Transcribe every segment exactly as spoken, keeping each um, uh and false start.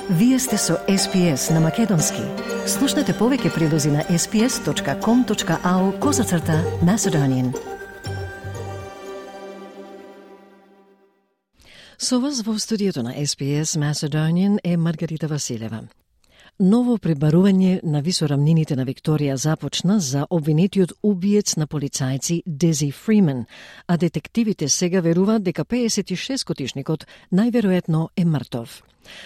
Вие сте со Ес Пи Ес на Македонски. Слушнете повеќе прилози на ес пи ес точка ком точка ау козацрта Macedonian. Со вас во студиото на Ес Пи Ес Macedonian е Маргарита Василева. Ново пребарување на висорамнините на Викторија започна за обвинетиот убиец на полицајци Дези Фримен, а детективите сега веруваат дека пеесет и шест годишникот најверојатно е мртов.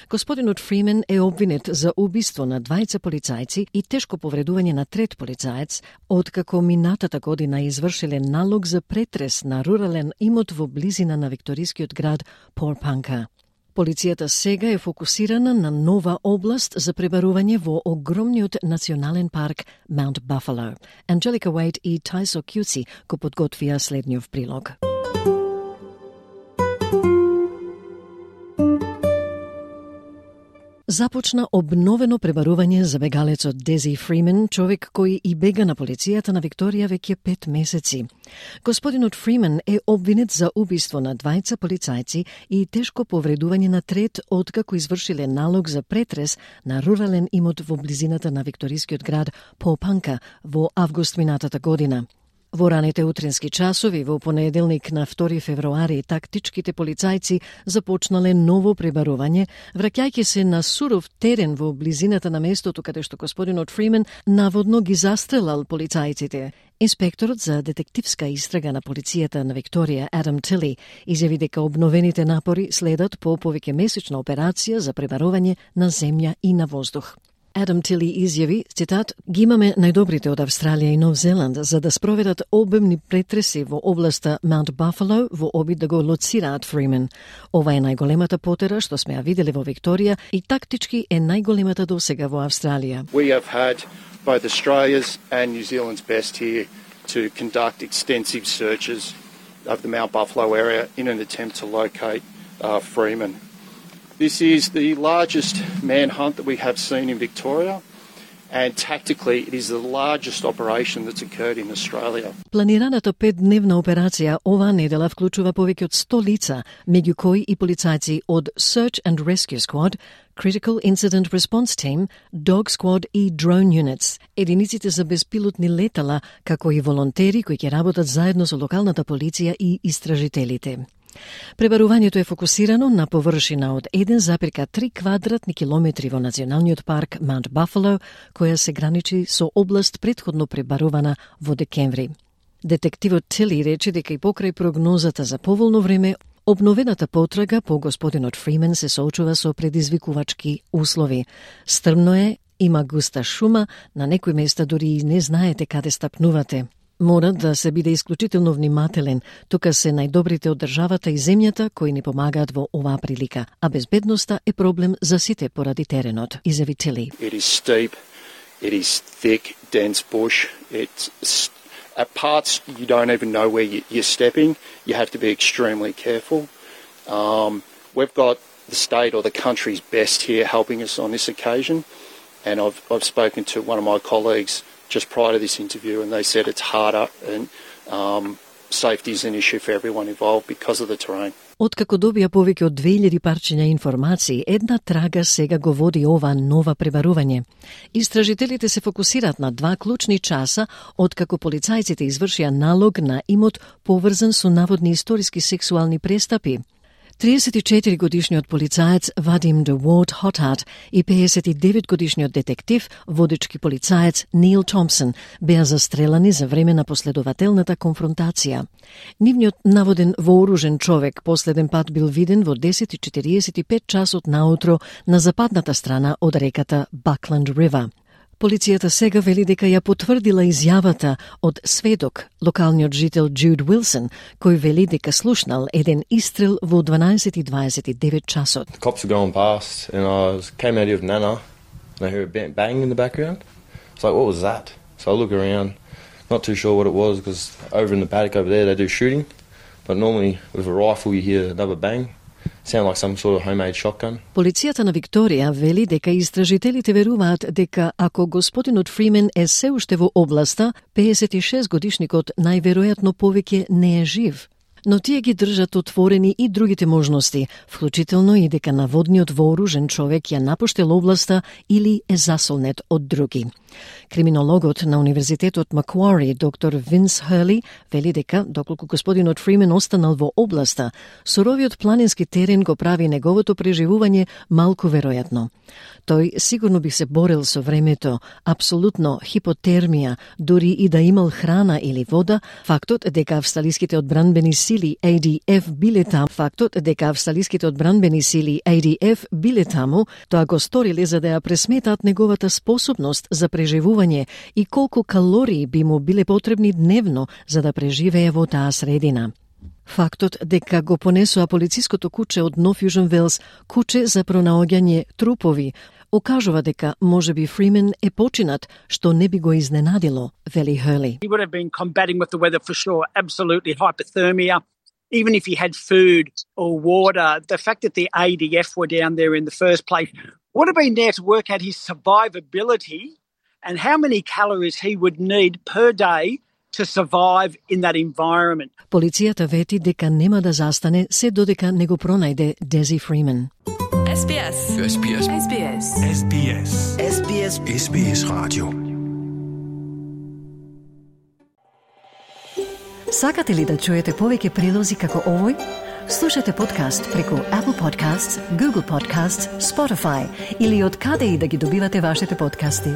Господинот Фримен е обвинет за убиство на двајца полицајци и тешко повредување на трет полицаец, откако минатата година извршиле налог за претрес на рурален имот во близина на викторискиот град Порпанка. Полицијата сега е фокусирана на нова област за пребарување во огромниот национален парк Маунт Бафало. Анджелика Уейт и Тајсо Кјуци го подготвија следниот прилог. Започна обновено пребарување за бегалецот Дези Фримен, човек кој и бега на полицијата на Викторија веќе пет месеци. Господинот Фримен е обвинет за убиство на двајца полицајци и тешко повредување на трет, откако извршиле налог за претрес на рурален имот во близината на викторискиот град Порпанка во август минатата година. Во раните утрински часови во понеделник на втори февруари тактичките полицајци започнале ново пребарување, враќајќи се на суров терен во близината на местото каде што господинот Фримен наводно ги застрелал полицајците. Инспекторот за детективска истрага на полицијата на Викторија, Адам Тили, изјави дека обновените напори следат по повеќемесечна операција за пребарување на земја и на воздух. Адам Тили изјави, цитат, ги имаме најдобрите од Австралија и Нов Зеланд за да спроведат обемни претреси во областа Маунт Бафало во обид да го лоцираат Фримен. Ова е најголемата потера што сме ја виделе во Викторија и тактички е најголемата досега во Австралија. We have had both Australia's and New Zealand's best here to conduct extensive searches of the Mount Buffalo area in an attempt to locate uh, Freeman. This is the largest manhunt that we have seen in Victoria, and tactically it is the largest operation that's occurred in Australia. Планираната петдневна операција оваа недела вклучува повеќе од сто лица, меѓу кои и полицајци од Search and Rescue Squad, Critical Incident Response Team, Dog Squad и Drone Units, единиците за безпилотни летала, како и волонтери кои ќе работат заедно со локалната полиција и истражителите. Пребарувањето е фокусирано на површина од еден запирка три квадратни километри во националниот парк Маунт Бафало, која се граничи со област претходно пребарувана во декември. Детективот Тили рече дека и покрај прогнозата за поволно време, обновената потрага по господинот Фримен се соочува со предизвикувачки услови. Стрмно е, има густа шума, на некои места дури и не знаете каде стапнувате. Мора да се биде исклучително внимателен, тука се најдобрите од државата и земјата кои ни помагаат во оваа прилика, а безбедноста е проблем за сите поради теренот, изјави Тили. It is steep, it is thick, dense bush. It's at parts you don't even know where you're stepping. You have to be extremely careful. Um, we've got the state or the country's best here helping us on this occasion, and I've I've spoken to one of my colleagues just prior to this interview, and they said it's harder and um, safety is an issue for everyone involved because of the terrain. Откако добија повеќе од две илјади парчиња информации, една трага сега го води ова нова пребарување. Истражителите се фокусираат на два клучни часа откако полицајците извршија налог на имот поврзан со наводни историски сексуални престапи. триесет и четири годишниот полицаец Вадим де Уорд Хотат и пеесет и девет годишниот детектив, водечки полицаец Нил Томпсон беа застрелани за време на последователната конфронтација. Нивниот наводен вооружен човек последен пат бил виден во десет и четириесет и пет часот наутро на западната страна од реката Buckland River. Полицијата сега вели дека ја потврдила изјавата од сведок, локалниот жител Джуд Уилсон, кој вели дека слушнал еден истрел во дванаесет и дваесет и девет часот. The cops were going past and I was, came out of Nana and I heard a bang in the background. It's like, what was that? So I look around, not too sure what it was because over in the paddock over there they do shooting, but normally with a rifle you hear another bang. Sound like some sort of homemade shotgun. Полицијата на Викторија вели дека истражителите веруваат дека ако господинот Фримен е се уште во областа, пеесет и шест годишникот најверојатно повеќе не е жив. Но тие ги држат отворени и другите можности, вклучително и дека наводниот вооружен човек ја напуштил областа или е засолнет од други. Криминологот на Универзитетот Маквари, доктор Винс Хърли, вели дека, доколку господинот Фримен останал во областа, суровиот планински терен го прави неговото преживување малку веројатно. Тој сигурно би се борил со времето, апсолутно хипотермија, дури и да имал храна или вода, фактот дека австралиските одбранбени сили А Д Ф биле таму, фактот дека австралиските одбранбени сили А Д Ф биле таму, тоа го сториле за да ја пресметаат неговата способност за преживување и колку калории би му биле потребни дневно за да преживее во таа средина. Фактот дека го понесоа полициското куче од Нов Јужен Велс, куче за пронаоѓање трупови, окажува дека можеби Фримен е починат, што не би го изненадило, вели Хърли. He would have been combating with the weather for sure, absolutely hypothermia. Even if he had food or water, the fact that the A D F were down there in the first place would have been there to work out his survivability and how many calories he would need per day to survive in that environment. Полицијата вети дека нема да застане се додека не го пронајде Дези Фримен. S B S. S B S. S B S. S B S. S B S. S B S Radio. Сакате ли да чуете повеќе прилози како овој? Слушате подкаст преку Apple Podcasts, Google Podcasts, Spotify или од каде и да ги добивате вашите подкасти.